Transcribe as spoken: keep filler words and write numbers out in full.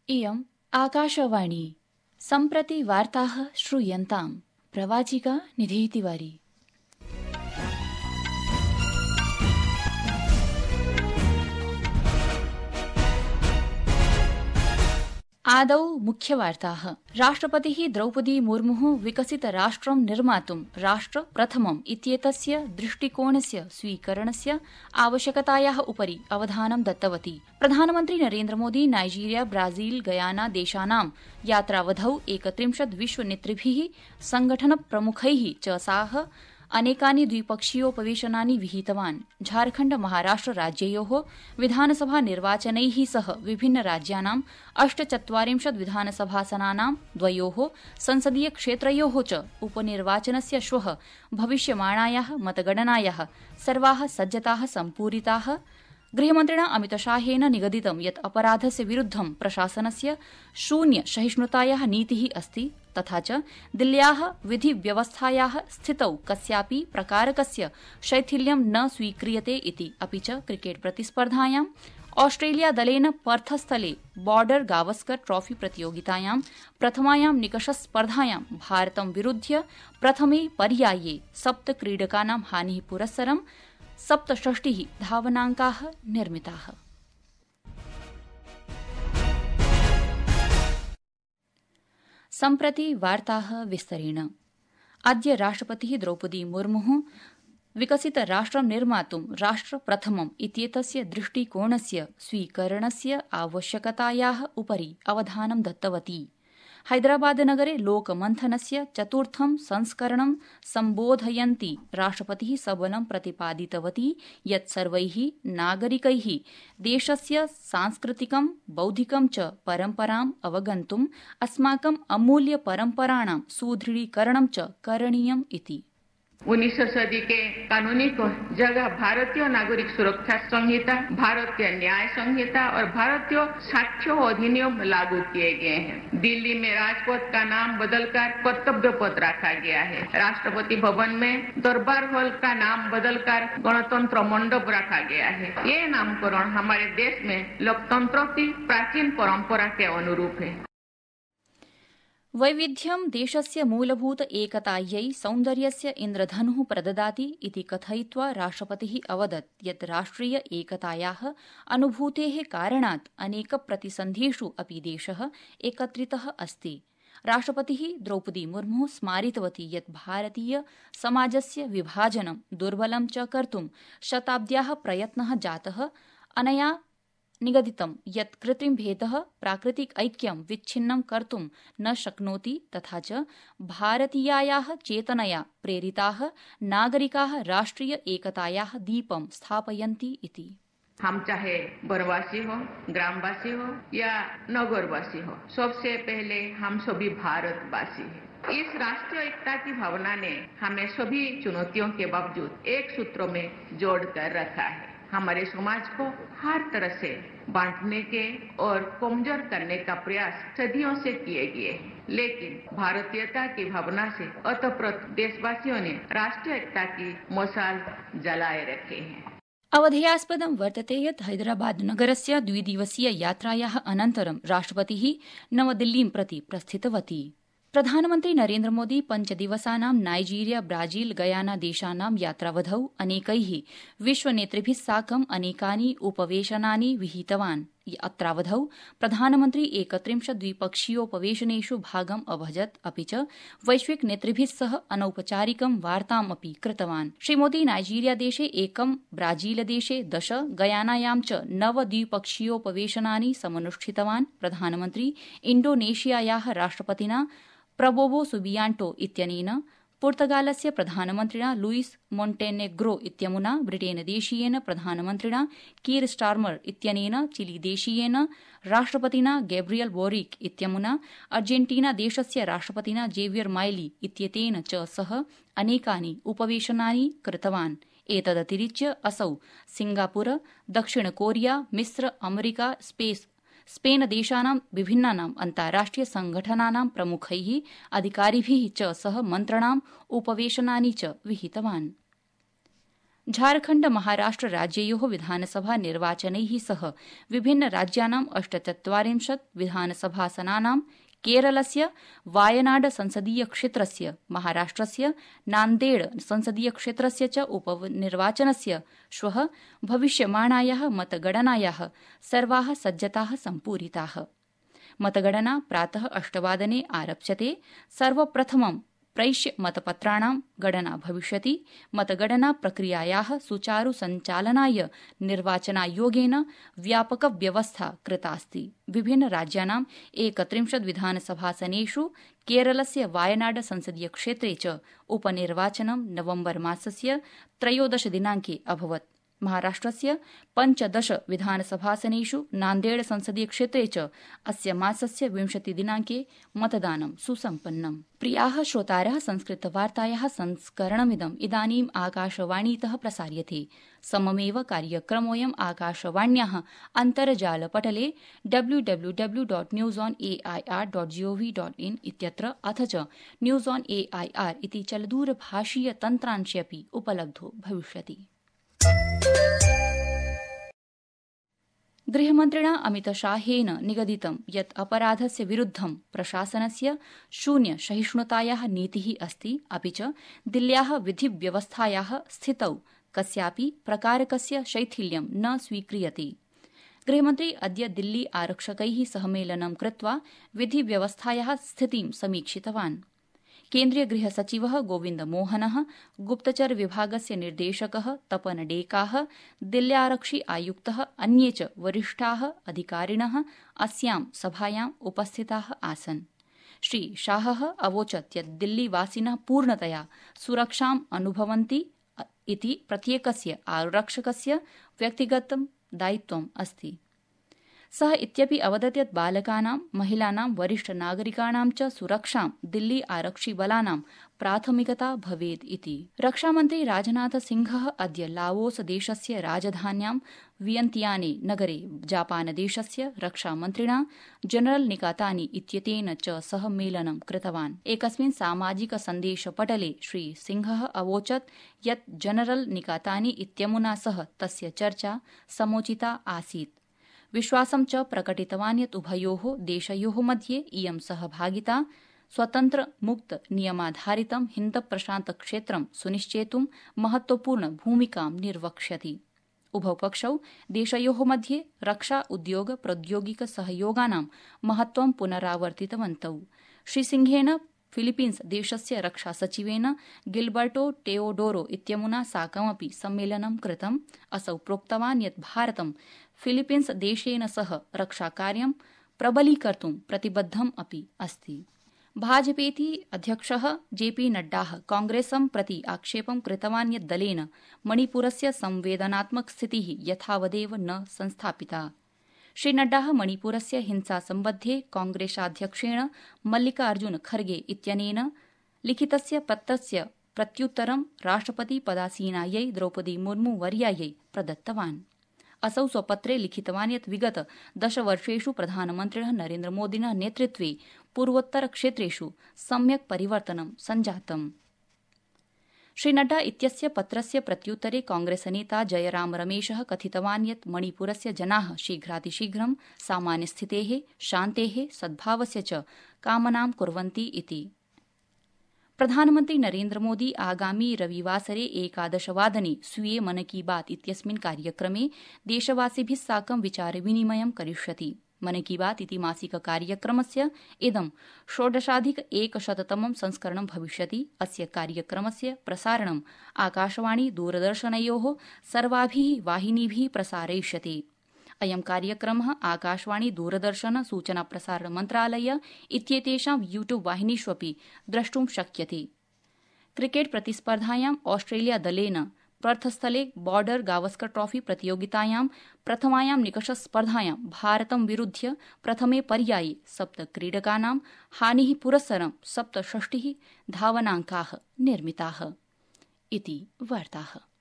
इयम् आकाशवाणी। सम्प्रति वार्ताः श्रूयन्ताम्। प्रवाचिका निधि तिवारी। आदौ मुख्यवार्ताः। राष्ट्रपतिः द्रौपदी मुर्मुः विकसित राष्ट्रं निर्मातुं राष्ट्र प्रथमम् इत्येतस्य दृष्टिकोणस्य स्वीकरणस्य आवश्यकतायाः उपरि अवधानं दत्तवती। प्रधानमन्त्री नरेन्द्रमोदी नाइजीरिया ब्राजील गयाना देशानां यात्रावधौ एकत्रिंशत् विश्वनेतृभिः संगठनप्रमुखैः च साह अनेकानि द्विपक्षीयोपवेशनानि विहितवान्। झारखण्ड महाराष्ट्र राज्ययोः विधानसभा निर्वाचनैः सह विभिन्न राज्यानां अष्टचत्वारिंशत् विधानसभासनानां द्वयोः संसदीय क्षेत्रयोः च उपनिर्वाचनस्य श्वः भविष्यमाणायाः मतगणनायाः सर्वाः सज्जताः सम्पूरिताः। गृहमन्त्रिणा अमितशाहेन निगदितं यत् अपराधस्य विरुद्धं प्रशासनस्य शून्य सहिष्णुतायाः नीतिः अस्ति तथा च दिल्ल्याः विधिव्यवस्थायाः स्थितौ कस्यापि प्रकारकस्य शैथिल्यं न स्वीक्रियते इति। अपि च क्रिकेट प्रतिस्पर्धायां ऑस्ट्रेलिया दलेन पर्थस्थले बॉर्डर गावस्कर ट्रॉफी प्रतियोगितायां प्रथमायां निकषस्पर्धायां भारतं विरुध्य प्रथमे पर्याये सप्त क्रीडकानां हानिः पुरस्सरं सप्तषष्टिः धावनाङ्काः निर्मिताः। सम्प्रति वार्ताः विस्तरेण। अद्य राष्ट्रपतिः द्रौपदी मुर्मुः विकसित राष्ट्रं निर्मातुं राष्ट्र प्रथमम् इत्येतस्य दृष्टिकोणस्य स्वीकरणस्य आवश्यकतायाः उपरि अवधानं दत्तवती। हैदराबादनगरे लोकमन्थनस्य चतुर्थं संस्करणं सम्बोधयन्ती राष्ट्रपतिः सबलं प्रतिपादितवती यत् सर्वैः नागरिकैः देशस्य सांस्कृतिकं बौद्धिकं च परम्पराम् अवगन्तुम् अस्माकम् अमूल्य परम्पराणां सुदृढीकरणं च करणीयम् इति। उन्नीसवीं सदी के कानूनी को जगह भारतीय नागरिक सुरक्षा संहिता, भारतीय न्याय संहिता और भारतीय साक्ष्य अधिनियम लागू किए गए हैं। दिल्ली में राजपथ का नाम बदलकर कर्तव्य पथ रखा गया है। राष्ट्रपति भवन में दरबार हॉल का नाम बदलकर गणतंत्र मंडप रखा गया है। ये नामकरण हमारे देश में लोकतंत्र की प्राचीन परंपरा के अनुरूप है। वैविध्यं देशस्य मूलभूत एकतायै सौन्दर्यस्य इन्द्रधनुः प्रददाति इति कथयित्वा राष्ट्रपतिः अवदत् यत् राष्ट्रिय एकतायाः अनुभूतेः कारणात् अनेक प्रतिसन्धिषु अपि देशः एकत्रितः अस्ति। राष्ट्रपतिः द्रौपदी मुर्मुः स्मारितवती यत् भारतीय समाजस्य विभाजनं दुर्बलं च कर्तुं शताब्द्याः प्रयत्नः जातः। अनया निगदितं यत् कृत्रिमभेदः प्राकृतिक ऐक्यं विच्छिन्नं कर्तुं न शक्नोति तथा च भारतीयायाः चेतनया प्रेरिताः नागरिकाः राष्ट्रिय एकतायाः दीपं स्थापयन्ति इति। हम चाहे वनवासी हो, ग्रामवासी हो या नगरवासी हो, सबसे पहले हम सभी भारतवासी हैं। इस राष्ट्रीय एकता की भावना ने हमें सभी चुनौतियों के बावजूद एक सूत्र में जोड़कर रखा है। हमारे समाज को हर तरह से बांटने के और कमजोर करने का प्रयास सदियों से किए गए हैं, लेकिन भारतीयता की भावना से अतःप्रत देशवासियों ने राष्ट्रीय एकता की मशाल जलाए रखे हैं। अवधेयास्पदं वर्तते यत् हैदराबाद नगरस्य द्विदिवसीय यात्रायाः अनन्तरं राष्ट्रपतिः नवदिल्लीं प्रति प्रस्थितवती। प्रधानमन्त्री नरेन्द्र मोदी पञ्चदिवसानां नाइजीरिया ब्राजील गयाना देशानां यात्रावधौ अनेकैः विश्वनेतृभिः साकं अनेकानि उपवेशनानि विहितवान्। अत्रावधौ प्रधानमन्त्री एकत्रिंशत् द्विपक्षीयोपवेशनेषु भागम् अभजत् अपि च वैश्विक नेतृभिः सह अनौपचारिकं वार्ताम् अपि कृतवान्। श्रीमोदी नाइजीरिया देशे एकं, ब्राजील देशे दश, गयानायां च नव द्विपक्षीयोपवेशनानि समनुष्ठितवान्। प्रधानमन्त्री इण्डोनेशियायाः राष्ट्रपतिना प्रबोवो सुबियांटो इत्यनेन, पुर्तगालस्य प्रधानमन्त्रिणा लुईस मोन्टेनेग्रो इत्यमुना, ब्रिटेनदेशीयेन प्रधानमन्त्रिणा कीर स्टार्मर इत्यनेन, चिलीदेशीयेन राष्ट्रपतिना गैब्रियल बोरिक इत्यमुना, अर्जेन्टीनादेशस्य राष्ट्रपतिना जेवियर माइली इत्येतेन च सह अनेकानि उपवेशनानि कृतवान्। एतदतिरिच्य असौ सिंगापुर, दक्षिण कोरिया, मिस्र, अमेरिका, स्पेस स्पेन देशानां विभिन्नानां अन्ताराष्ट्रिय संघटनानां प्रमुखैः अधिकारिभिः च सह मन्त्रणाम् उपवेशनानि च विहितवान्। झारखण्ड महाराष्ट्र राज्ययोः विधानसभा निर्वाचनैः सह विभिन्न राज्यानाम् अष्टचत्वारिंशत् विधानसभासनानां केरलस्य वायनाड संसदीय क्षेत्रस्य महाराष्ट्रस्य नान्देड संसदीय क्षेत्रस्य च उपनिर्वाचनस्य श्वः भविष्यमाणायाः मतगणनायाः सर्वाः सज्जताः सम्पूरिताः। मतगणना प्रातः अष्टवादने आरप्स्यते। सर्वप्रथमं प्रैष्य मतपत्राणां गणना भविष्यति। मतगणना प्रक्रियायाः सुचारु सञ्चालनाय निर्वाचनायोगेन व्यापकव्यवस्था कृतास्ति। विभिन्न राज्यानाम् एकत्रिंशत् विधानसभासनेषु केरलस्य वायनाड संसदीय क्षेत्रे च उपनिर्वाचनं नवम्बर मासस्य त्रयोदश दिनाङ्के अभवत्। महाराष्ट्रस्य पञ्चदश विधानसभासनेषु नान्देड संसदीय क्षेत्रे च अस्य मासस्य विंशति दिनाङ्के मतदानं सुसम्पन्नम्। प्रियाः श्रोतारः, संस्कृतवार्तायाः संस्करणमिदम् इदानीम् आकाशवाणीतः प्रसार्यते। सममेव कार्यक्रमोऽयम् आकाशवाण्याः अन्तर्जालपटले W W W dot news on A I R dot G O V dot in इत्यत्र अथ च news on A I R इति चलदूरभाषीय तन्त्रांशे अपि उपलब्धो भविष्यति। गृहमन्त्रिणा अमितशाहेन निगदितं यत् अपराधस्य विरुद्धं प्रशासनस्य शून्य सहिष्णुतायाः नीतिः अस्ति, अपि च दिल्ल्याः विधिव्यवस्थायाः स्थितौ कस्यापि प्रकारकस्य शैथिल्यं न स्वीक्रियते। गृहमन्त्री अद्य दिल्ली आरक्षकैः सह मेलनं कृत्वा विधिव्यवस्थायाः स्थितिं समीक्षितवान्। केन्द्रीय गृहसचिवः गोविन्दमोहनः, गुप्तचर विभागस्य निर्देशकः तपन डेकाः, दिल्ल्यारक्षि आयुक्तः, अन्ये च वरिष्ठाः अधिकारिणः अस्यां सभायाम् उपस्थिताः आसन्। श्री शाहः अवोचत् यत् दिल्लीवासिनः पूर्णतया सुरक्षाम् अनुभवन्ति इति प्रत्येकस्य आरक्षकस्य व्यक्तिगतं दायित्वम् अस्ति। सः इत्यपि अवदत् यत् बालकानां, महिलानां, वरिष्ठनागरिकाणां च सुरक्षां दिल्ली आरक्षिबलानां प्राथमिकता भवेत् इति। रक्षामन्त्री राजनाथ सिंहः अद्य लाओस देशस्य राजधान्यां वियन्तियाने नगरे जापानदेशस्य रक्षामन्त्रिणा जनरल निकातानी इत्येतेन च सह मेलनं कृतवान्। एकस्मिन् सामाजिक सन्देशपटले श्री सिंहः अवोचत् यत् जनरल निकातानी इत्यमुना सह तस्य चर्चा समोचिता आसीत्। विश्वासं च प्रकटितवान् यत् उभयोः देशयोः मध्ये इयं सहभागिता स्वतन्त्र मुक्त नियमाधारितं हिन्द प्रशान्त क्षेत्रं सुनिश्चेतुं महत्वपूर्ण भूमिकां निर्वक्ष्यति। उभौ पक्षौ देशयोः मध्ये रक्षा उद्योग प्रौद्योगिक सहयोगानां महत्वं पुनरावर्तितवन्तौ। श्रीसिंहेन फिलीपीन्स देशस्य रक्षासचिवेन गिल्बर्टो टेओडोरो इत्यमुना साकमपि सम्मेलनं कृतम्। असौ प्रोक्तवान् यत् भारतं फिलीपीन्स देशेन सह रक्षाकार्यं प्रबलीकर्तुं प्रतिबद्धम् अपि अस्ति। भाजपेति अध्यक्षः जेपी नड्डाः कांग्रेसं प्रति आक्षेपं कृतवान् यत् दलेन मणिपुरस्य संवेदनात्मक स्थितिः यथावदेव न संस्थापिता। श्री नड्डाः मणिपुरस्य हिंसासम्बद्धे कांग्रेसाध्यक्षेण मल्लिकार्जुन खर्गे इत्यनेन लिखितस्य पत्रस्य प्रत्युत्तरं राष्ट्रपति पदासीनायै द्रौपदी मुर्मू वर्यायै प्रदत्तवान्। असौ स्वपत्रे लिखितवान् यत् विगत दशवर्षेषु प्रधानमन्त्रिणः नरेन्द्रमोदिनः नेतृत्वे पूर्वोत्तरक्षेत्रेषु सम्यक् परिवर्तनं सञ्जातम्। श्री नड्डा इत्यस्य पत्रस्य प्रत्युत्तरे कांग्रेसनेता जयराम रमेशः कथितवान् यत् मणिपुरस्य जनाः शीघ्रातिशीघ्रं सामान्यस्थितेः, शान्तेः, सद्भावस्य च कामनां कुर्वन्ति इति। प्रधानमन्त्री नरेन्द्रमोदी आगामी रविवासरे एकादशवादने स्वीये मन की बात इत्यस्मिन् कार्यक्रमे देशवासिभिः साकं विचारविनिमयं करिष्यति। मन की बात इति मासिक कार्यक्रमस्य इदं षोडशाधिक एकशततमं संस्करणं भविष्यति। अस्य कार्यक्रमस्य प्रसारणं आकाशवाणी दूरदर्शनयोः सर्वाभिः वाहिनीभिः प्रसारयिष्यते। अयं कार्यक्रमः आकाशवाणी दूरदर्शन सूचना प्रसारण मन्त्रालय इत्येतेषां यूट्यूब वाहिनीष्वपि द्रष्टुं शक्यते। क्रिकेट प्रतिस्पर्धायां ऑस्ट्रेलिया दलेन पर्थस्थले बॉर्डर गावस्कर ट्रॉफी प्रतियोगितायां प्रथमायां निकषस्पर्धायां भारतं विरुध्य प्रथमे पर्याये सप्त क्रीडकानां हानिः पुरस्सरं सप्तषष्टिः धावनाङ्काः निर्मिताः। इति वार्ताः।